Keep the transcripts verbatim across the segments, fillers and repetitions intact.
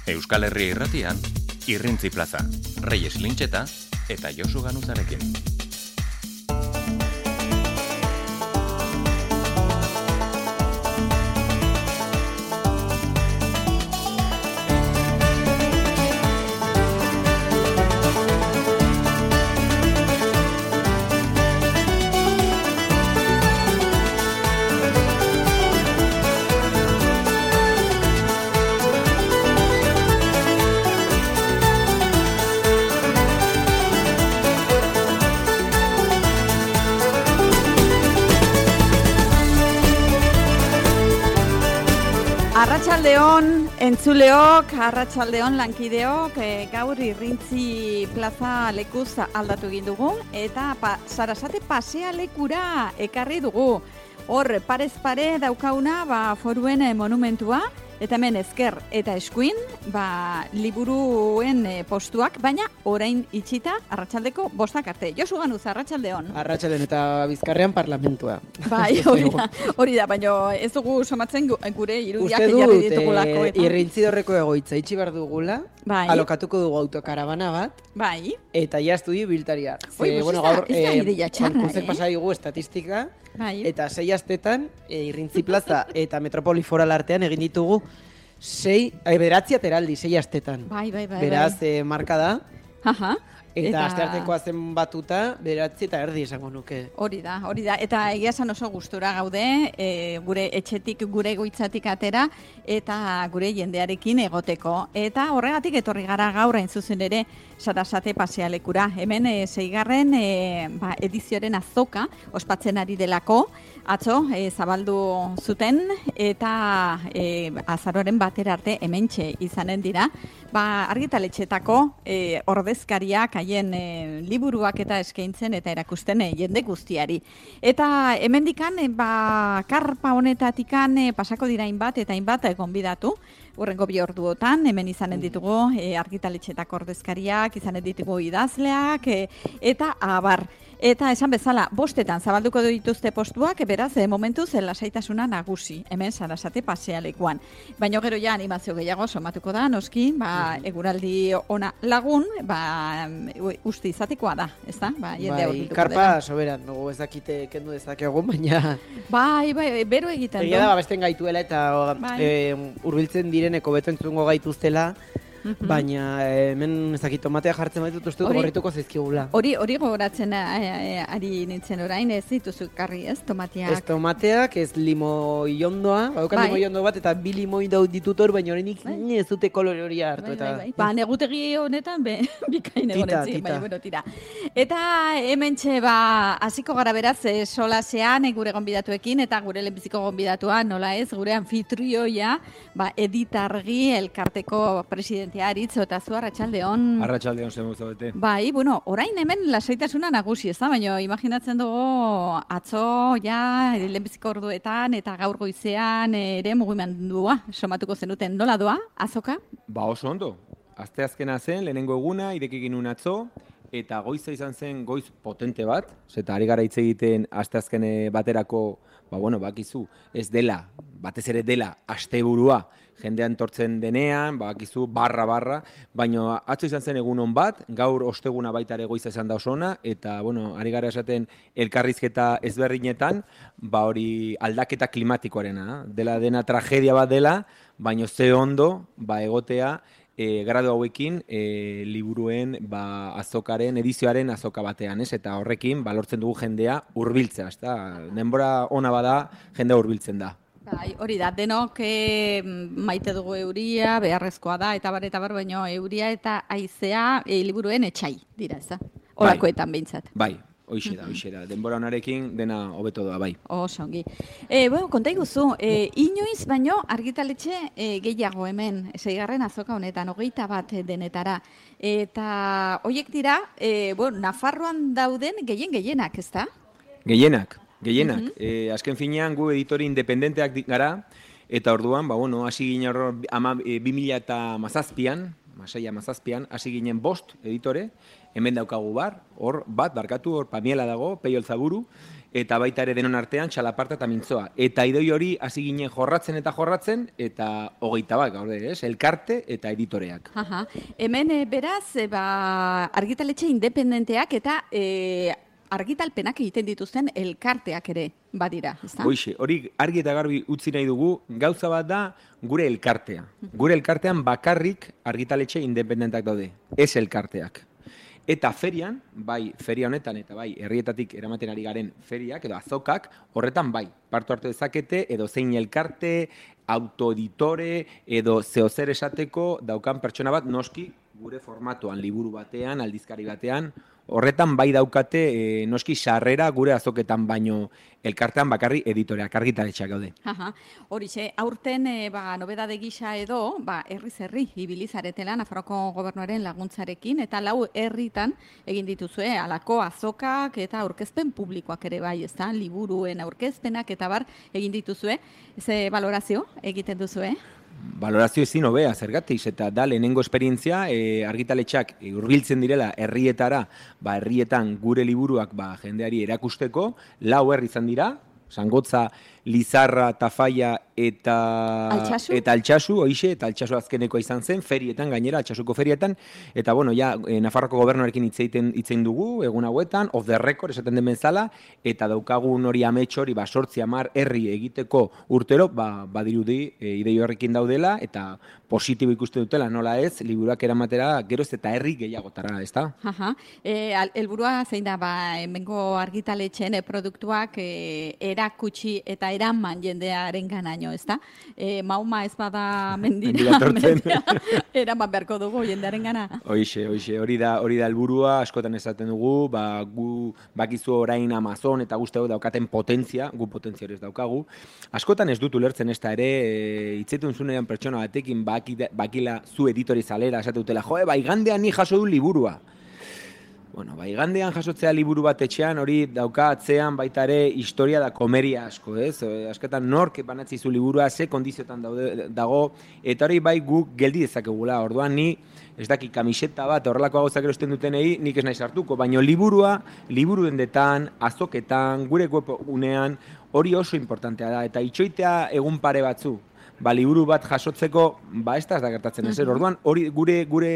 Euskal Herria Irratian, Irrintzi Plaza, Reyes Lintxeta eta Josu Ganuzarekin. Arratsaldeon, entzuleok, arratsaldeon lankideok, e, gaur Irrintzi Plaza lekuz aldatu egin dugu eta pa, Sarasate pasea lekura ekarri dugu. Hor, parez pare daukauna ba, foruen monumentua, eta hemen ezker eta eskuin ba, liburuen e, postuak, baina orain itxita arratsaldeko bostak arte. Josu Ganuz, arratsaldeon. Arratsaldeon eta Bizkarrean parlamentua. Bai, hori da, hori da, baina ez dugu somatzen gure irudiak jarri ditugulako. Uste dut, e, Irrintzidorreko egoitza itxi behar dugula, bai. Alokatuko dugu autokarabana bat, bai. Eta jaztu di biltaria. Oi, bueno, gaur, ez da e, ideia txarra, eh? Pasa digu estatistika, bai. Eta sei astetan, e, Irrintzi Plaza eta Metropoli Foral artean egin ditugu sei, e, beratzi ateraldi, sei astetan. Bai, bai, bai. Beraz, bai. E, marka da. Aha. Eta, eta asteartekoa zen batuta, beratzi eta erdi esango nuke. Hori da, hori da. Eta egia esan oso gustura gaude, e, gure etxetik, gure goitzatik atera, eta gure jendearekin egoteko. Eta horregatik etorri gara gaur hain zuzen ere Sarasate pasealekura. Hemen e, seigarren e, ba, edizioaren azoka ospatzen ari delako, atzo e, zabaldu zuten, eta e, azaroren batera arte hementxe izanen dira. Ba, argitaletxetako e, ordezkariak haien e, liburuak eta eskaintzen eta erakusten e, jende guztiari. Eta hemendikan e, ba, karpa honetatikan e, pasako dira hainbat eta hainbat gonbidatu. Urrengo bi orduotan, hemen izanen ditugu e, argitaletxetako ordezkariak, izanen ditugu idazleak, e, eta abar. Eta esan bezala, bostetan zabalduko dituzte postuak, beraz, e, momentuz, lasaitasuna nagusi, hemen Sarasate pasealekuan. Baina gero ja animazio gehiago somatuko da, noski, ba, eguraldi ona lagun, ba, uste izatekoa da, ez da? Ba, bai, karpa soberan, dugu ez dakite kendu dezakegu, baina... Bai, bai, bero egiten du. Egia da, babesten gaituela eta bai. e, urbiltzen direneko beto entzungo gaituztela, baina hemen ezakit tomatea jartzen baitut uste dut gorrituko zaizkigula. Hori hori gogoratzen ari nintzen orain, ez dituzu karri, ez, tomateak? Ez tomateak, ez limoiondoa, badukan bai. Limoiondo bat eta bi limoi daut ditut hor, baina horrenik bai. Ez dute kolore hori hartu. Bai, eta... bai, bai. Ba, negutegi honetan, be, bikain egoretzi, baina bueno, tira. Eta hementxe, ba, hasiko gara beraz, e, solasean, e, gure gonbidatuekin, eta gure lehenbiziko gonbidatua, nola ez, gure anfitrioia, ba, Editargi elkarteko presidente Aritzo eta zu arratsaldeon. Arratsaldeon zen guztu bete. Bai, bueno, orain hemen lasaitasuna nagusi, ez da? Baina imaginatzen dugu atzo, ja, lehenbiziko orduetan eta gaur goizean ere mugimendua somatuko zenuten. Nola doa, azoka? Ba oso ondo. Asteazkena zen, lehenengo eguna, ireki ginuen atzo, eta goiza izan zen goiz potente bat, eta ari gara hitz egiten asteazken baterako, ba bueno, bakizu, ez dela, batez ere dela asteburua, jendean tortzen denean, bakizu barra-barra, baina atzo izan zen egun on bat, gaur osteguna baita ere goiza izan da osona, eta, bueno, ari gara esaten elkarrizketa ezberdinetan, ba hori aldaketa klimatikoarena, dela dena tragedia bat dela, baina ze ondo, ba egotea, e, gradu hauekin, e, liburuen, ba, azokaren, edizioaren azoka batean, ez? Eta horrekin, ba, lortzen dugu jendea hurbiltzea, ezta? Denbora ona bada, jendea hurbiltzen da. Bai, hori da, denok e, maite dugu euria, beharrezkoa da, eta bar, eta bar, baino euria eta haizea e, liburuen etxai, dira, ez da? Olakoetan behintzat. Bai, hoixe da, hoixe da. Denbora honarekin dena hobeto doa, bai. Oso ongi. E, bueno, konta iguzu, e, inoiz baino argitaletxe e, gehiago hemen, seigarren azoka honetan, hogeita bat denetara. Eta hoiek dira, e, bueno, Nafarroan dauden gehien gehienak, ez da? Gehienak. Gehienak, uh-huh. e, azken finean gu editori independenteak gara, eta orduan, ba, bueno, hasi ginen hor e, bi mila eta mazazpian, masaia mazazpian, hasi ginen bost editore, hemen daukagu bar, hor bat, barkatu, hor Pamiela dago, Peio Elzaburu, eta baita ere denon artean txalaparta eta mintzoa. Eta idoi hori hasi ginen jorratzen eta jorratzen, eta hogeita bat gaude, ez? Elkarte eta editoreak. Aha. Hemen, e, beraz, e, ba, argitaletxe independenteak eta e, argitalpenak egiten dituzten elkarteak ere badira, ezta? Hoixe, hori argi eta garbi utzi nahi dugu, gauza bat da gure elkartea. Gure elkartean bakarrik argitaletxe independentak daude, ez elkarteak. Eta ferian, bai, feria honetan, eta bai, herrietatik eramaten ari garen feriak, edo azokak, horretan bai, partu hartu dezakete, edo zein elkarte, autoeditore, edo zeozer esateko daukan pertsona bat, noski, gure formatuan, liburu batean, aldizkari batean, horretan bai daukate, e, noski, sarrera gure azoketan baino elkartean bakarri editoreak, argitaletxeak gaude. Aha, horixe, aurten e, ba, nobedade gisa edo, ba, herriz herri ibilizaretela Nafarroko gobernuaren laguntzarekin, eta lau herritan egin dituzue, alako azokak eta aurkezpen publikoak ere bai, ezta, liburuen aurkezpenak eta bar egin dituzue, ze valorazio egiten duzue? Valorazio ezin hobea, zergatik, eta da lehenengo esperientzia, e, argitaletxak e, hurbiltzen direla herrietara, ba, herrietan gure liburuak ba, jendeari erakusteko, lau herri izan dira, Zangotza, Lizarra, Tafaia eta Altsasu, eta Altsasu, hoixe, eta Altsasu azkenekoa izan zen, ferietan gainera, Altsasuko ferietan, eta bueno, ja, e, Nafarroko gobernuarekin hitzeiten hitzein dugu, egun hauetan, off the record, esaten den bezala, eta daukagun hori amets hori, ba, sortzi hamar herri egiteko urtero, ba, badirudi, e, idei horrekin daudela, eta positibo ikusten dutela, nola ez, liburuak eramatera geroz eta herri gehiagotara, ezta? Aha, e, helburua zein da, ba, hemengo argitaletxeen e, produktuak e, erakutsi eta eraman jendearen ganaino, ezta? E, mauma ez bada mendira, mendira eraman beharko dugu jendearen gana. Hoixe, hoixe, hori da, hori da helburua, askotan esaten dugu, ba, gu bakizu orain Amazon eta guztiak daukaten potentzia, gu potentzia hori ez daukagu. Askotan ez dut ulertzen ez da ere, e, hitzetun zunean pertsona batekin baki, bakila zu editori zalera, esate dutela, joe, ba, igandean ni jaso du liburua. Bueno, ba, igandean jasotzea liburu bat etxean, hori dauka atzean baita ere historia da komeria asko, ez? E, asketan nork banatzi zu liburua, ze kondiziotan daude, dago, eta hori bai guk geldi dezakegula. Orduan ni, ez daki, kamiseta bat, horrelako gauzak erosten dutenei, nik ez naiz hartuko, baina liburua, liburu dendetan, azoketan, gure web unean, hori oso importantea da, eta itxoitea egun pare batzu. Ba, liburu bat jasotzeko, ba, ez da ez da gertatzen ezer. Orduan, hori gure gure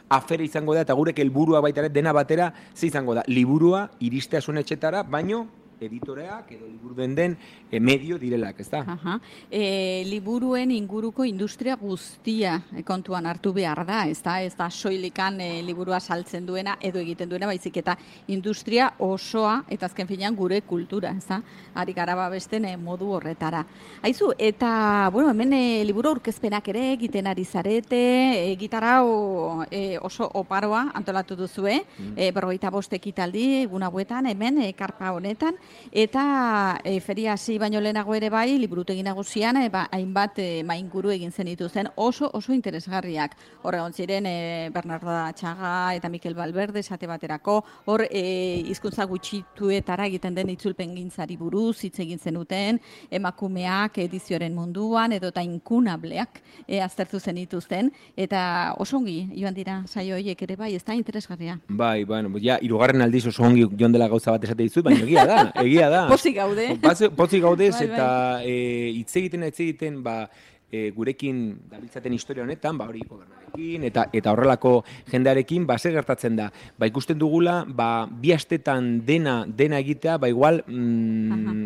afera izango da, eta gurek helburua baita ere dena batera, ze izango da, liburua iristea zuen etxetara, baino editoreak edo liburu den den e, medio direlak, ez da? Aha. E, liburuen inguruko industria guztia e, kontuan hartu behar da, ez da? Ez da soilikan e, liburua saltzen duena edo egiten duena, baizik eta industria osoa eta azken finean gure kultura, ez da? Ari gara babesten e, modu horretara. Aizu, eta, bueno, hemen e, liburu aurkezpenak ere egiten ari zarete, e, gitarau e, oso oparoa antolatu duzue, mm. e, berrogeita bost ekitaldi egun hauetan, hemen e, karpa honetan, eta e, feria hasi baino lehenago ere bai, liburutegi nagusian, e, ba, hainbat e, mainguru egin zen dituzten oso oso interesgarriak. Hor egon ziren e, Bernardo Atxaga eta Mikel Valverde esate baterako, hor e, hizkuntza gutxituetara egiten den itzulpengintzari buruz hitz egin zenuten, emakumeak edizioaren munduan edo ta inkunableak e, aztertu zen dituzten, eta oso ongi joan dira saio horiek ere bai, ez da interesgarria. Bai, bueno, ja, hirugarren aldiz oso ongi joan dela gauza bat esate dizut, baina egia da. Egia da. Pozik gaude. Pozik gaudez, bai, eta e, hitz egiten, hitz egiten, ba, e, gurekin dabiltzaten historia honetan, ba, hori gobernarekin, eta eta horrelako jendearekin, ba, zer gertatzen da. Ba, ikusten dugula, ba, bi astetan dena, dena egitea, ba, igual, mm,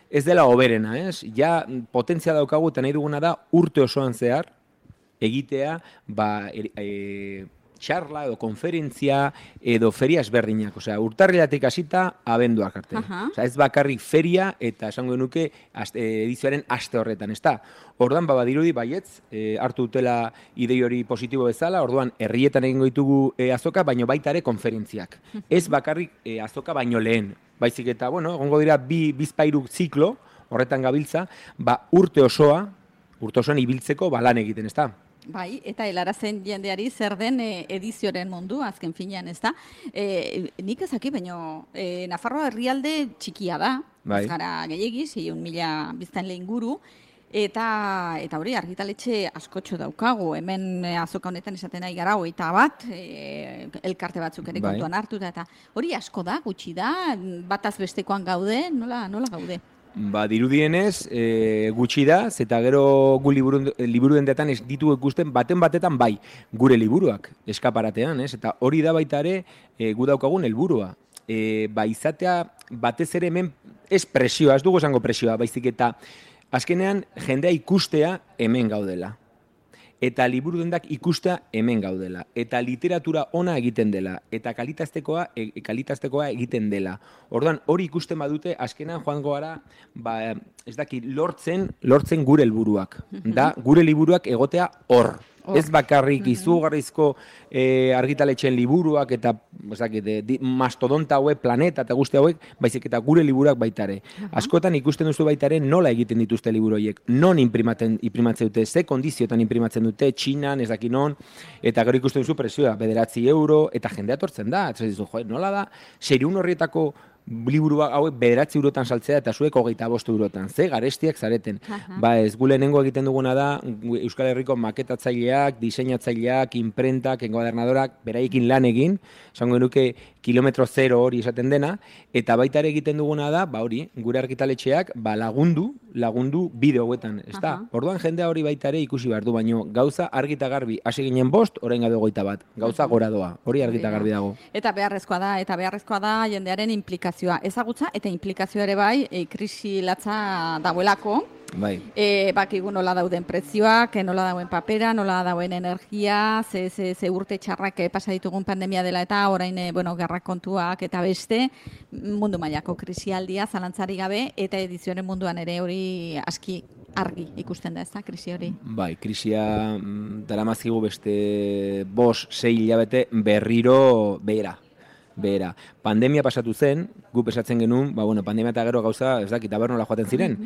ez dela hoberena, ez? Ja, potentzia daukagu, eta nahi duguna da, urte osoan zehar, egitea, ba, e, e, txarla edo konferentzia edo feria ezberdinak, osea, urtarrilatik hasita abenduak arte. Osea, ez bakarrik feria eta esango nuke edizioaren aste horretan, ezta? Orduan ba badirudi baietz, e, hartu dutela idei hori positibo bezala, orduan herrietan egingo ditugu e, azoka, baino baita ere konferentziak. Ez bakarrik e, azoka baino lehen. Baizik eta, bueno, egongo dira bi bizpahiru ziklo horretan gabiltza, ba urte osoa, urte osoan ibiltzeko ba lan egiten, ezta? Bai, eta helarazen jendeari zer den e, edizioaren mundu, azken finean, ez da? E, nik ezaki, baino, e, Nafarroa herrialde txikia da, bai. Ez gara gehiagiz, un mila biztanle inguru, Eta eta hori argitaletxe askotxo daukagu, hemen azoka honetan esaten nahi gara, hogeita bat, e, elkarte batzuk ere bai. kontuan hartuta, eta hori asko da, gutxi da, bataz bestekoan gaude, nola, nola gaude? Ba, dirudienez, e, gutxi da, eta gero gu liburu, liburu dendetan ez ditu ikusten, baten batetan bai, gure liburuak, eskaparatean, ez? Eta hori da baita ere, e, gu daukagun helburua. E, ba, izatea, batez ere hemen, ez presioa, ez dugu esango presioa, baizik eta, azkenean, jendea ikustea hemen gaudela. Eta liburu dendak ikustea hemen gaudela. Eta literatura ona egiten dela. Eta kalitaztekoa, e, kalitaztekoa egiten dela. Orduan, hori ikusten badute, azkenean joango gara, ba, ez daki, lortzen, lortzen gure helburuak. Da, gure liburuak egotea hor. Or. Ez bakarrik izugarrizko e, argitaletxeen liburuak eta de, di, mastodonta hauek, planeta eta guzti hauek, baizik eta gure liburuak baitare. Uh-huh. Askotan ikusten duzu baitare nola egiten dituzte liburu horiek, non imprimatzen, imprimatzen dute, ze kondiziotan imprimatzen dute, Txinan, ez daki non, eta gero ikusten duzu presioa, bederatzi euro, eta jendea tortzen da, ez dizu, jo, nola da, seriun horrietako liburuak hauek bederatzi eurotan saltzea eta zuek hogeita bost eurotan. Ze garestiak zareten. Uh-huh. Ba ez, gu lehenengo egiten duguna da Euskal Herriko maketatzaileak, diseinatzaileak, imprentak, engoadernadorak, beraiekin lan egin, esango genuke kilometro zero hori esaten dena, eta baita ere egiten duguna da, ba hori, gure argitaletxeak ba lagundu, lagundu bideo hauetan, ezta? Uh-huh. Orduan jendea hori baita ere ikusi behar du, baino gauza argita garbi, hasi ginen bost, orain gabe hogeita bat. Gauza gora doa, hori argita garbi dago. Eta beharrezkoa da, eta beharrezkoa da jendearen implikazioa. Ezagutza eta implikazioa ere bai, e, krisi latza dagoelako. Bai. E, bakigu nola dauden prezioak, nola dauen papera, nola dauen energia, ze, ze, ze urte txarrak pasa ditugun pandemia dela eta orain, e, bueno, gerrak kontuak eta beste, mundu mailako krisialdia, zalantzari gabe, eta edizioaren munduan ere hori aski argi ikusten da, ez da, krisi hori? Bai, krisia daramazkigu beste bos, sei hilabete berriro behera. Behera. Pandemia pasatu zen, gu pesatzen genuen, ba, bueno, pandemia eta gero gauza, ez dakit, tabernola joaten ziren,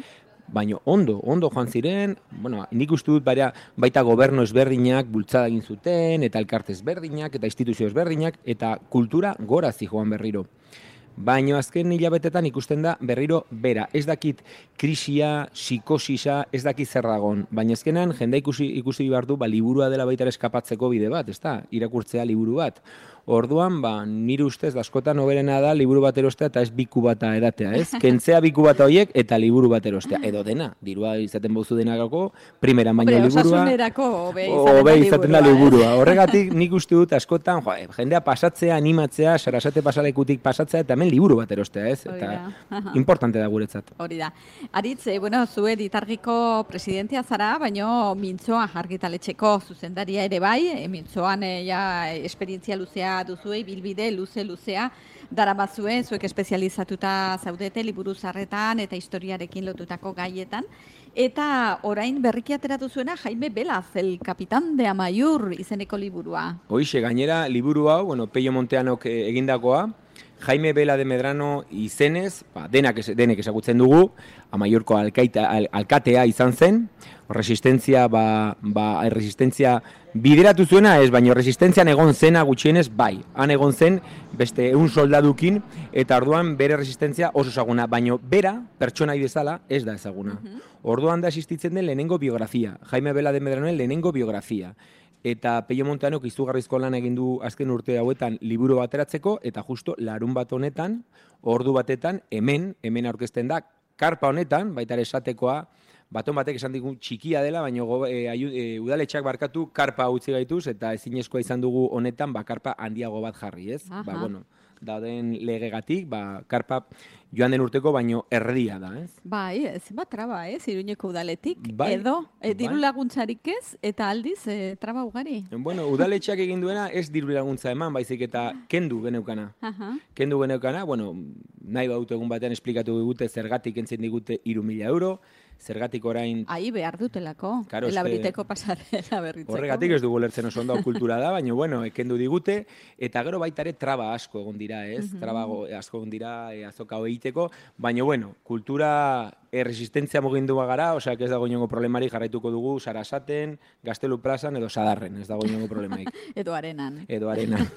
baina ondo, ondo joan ziren, bueno, nik uste dut baita, baita gobernu ezberdinak bultzada egin zuten, eta elkarte ezberdinak, eta instituzio ezberdinak, eta kultura gorazi joan berriro. Baina azken hilabetetan ikusten da berriro bera. Ez dakit krisia, psikosisa, ez dakit zer dagon. Baina azkenan jende ikusi, ikusi behar du, ba, liburua dela baita eskapatzeko bide bat, ez da? Irakurtzea liburu bat. Orduan, ba, nire ustez, askotan hoberena da liburu bat erostea eta ez biku bata edatea, ez? Kentzea biku bata horiek eta liburu bat erostea. Edo dena, dirua izaten bauzu denagako, primeran baino liburua. Osasunerako hobe izaten, izaten da liburua. Horregatik nik uste dut askotan, jo, jendea pasatzea, animatzea, sarasate pasalekutik pasatzea eta hemen liburu bat erostea, ez? Eta importante da guretzat. Hori da. Aritz, eh, bueno, zue ditargiko presidentia zara, baino mintzoa argitaletxeko zuzendaria ere bai, e, mintzoan e, ja, esperientzia luzea duzue, bilbide luze-luzea daramazue, zuek espezializatuta zaudete liburu zarretan eta historiarekin lotutako gaietan. Eta orain berriki ateratu zuena Jaime Belaz, el Capitán de Amaiur izeneko liburua. Hoixe, gainera liburu hau, bueno, Peio Monteanok egindakoa, Jaime Bela de Medrano izenez, ba, denak, denek ezagutzen dugu, Amaiurko alkaita, al, alkatea izan zen, resistentzia, ba, ba, resistentzia bideratu zuena ez, baina resistentzian egon zena gutxienez bai. Han egon zen beste ehun soldadukin, eta orduan bere resistentzia oso ezaguna, baina bera, pertsonai bezala, ez da ezaguna. Uh-huh. Orduan da existitzen den lehenengo biografia, Jaime Bela de Medranoen lehenengo biografia. Eta Peio Monteanok izugarrizko lan egin du azken urte hauetan liburu bateratzeko, eta justo larun bat honetan, ordu batetan, hemen, hemen aurkezten da, karpa honetan, baita ere esatekoa, baton batek esan digun txikia dela, baina e, e, udaletxeak barkatu karpa utzi gaituz, eta ezinezkoa izan dugu honetan, ba, karpa handiago bat jarri, ez? Aha. Ba, bueno, dauden legegatik, ba, karpa joan den urteko, baino erdia da, ez? Bai, ez bat traba, ez, Iruñeko udaletik, bai, edo, e, diru bai. Laguntzarik ez, eta aldiz, e, traba ugari. Bueno, udaletxeak egin duena ez diru laguntza eman, baizik eta kendu geneukana. Aha. Kendu geneukana, bueno, nahi baut egun batean esplikatu digute zergatik entzen digute hiru mila euro, zergatik orain... Ahi behar dutelako, claro, elabriteko pasarela berritzeko. Horregatik ez dugu lertzen oso ondo kultura da, baina bueno, ekendu digute, eta gero baita ere traba asko egon dira, ez? Uh-huh. Traba asko egon dira e, azoka egiteko, baina bueno, kultura erresistentzia mugindua gara, osea, ez dago inongo problemari jarraituko dugu Sarasaten, Gaztelu plazan edo Sadarren, ez dago inongo problemaik. Edo arenan. Edo arenan.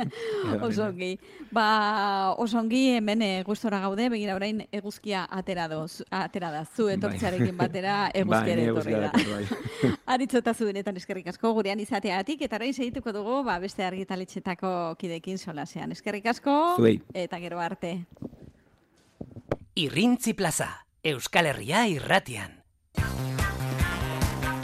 Osongi. Ba, osongi hemen e, gustora gaude, begira orain eguzkia atera doz, atera da, zu etortzearekin batera eguzkiare etorri da. Aritzota zu benetan eskerrik asko gurean izateatik, eta orain segituko dugu ba, beste argitaletxetako kidekin solasean. Eskerrik asko, Zuei. Eta gero arte. Irrintzi plaza, Euskal Herria irratian.